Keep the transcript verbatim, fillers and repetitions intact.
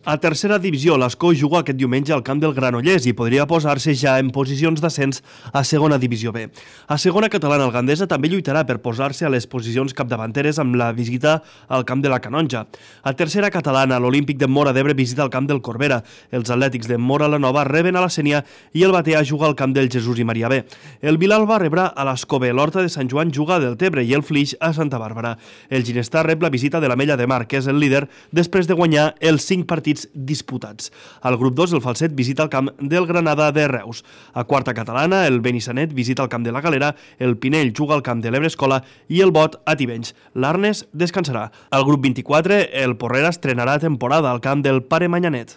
A tercera divisió, l'Escó juga aquest diumenge al camp del Granollers i podria posar-se ja en posicions d'ascens a segona divisió B. A segona catalana, el Gandesa també lluitarà per posar-se a les posicions capdavanteres amb la visita al camp de la Canonja. A tercera catalana, l'Olímpic de Móra d'Ebre visita el camp del Corbera. Els atlètics de Móra la Nova reben a la Sénia i el Batea juga al camp del Jesús i Maria B. El Vilalba rebrà a l'Escó B, l'Horta de Sant Joan juga a Deltebre i el Flix a Santa Bàrbara. El Ginestar rep la visita de l'Ametlla de Mar, que és el líder, després de guanyar els cinc partits disputats. Al grup dos, el Falset visita el camp del Granada de Reus. A quarta catalana, el Benissanet visita el camp de la Galera, el Pinell juga al camp de l'Ebre Escola i el Bot a Tivenys. L'Arnes descansarà. Al grup vint-i-quatre, el Porrera estrenarà temporada al camp del Pare Manyanet.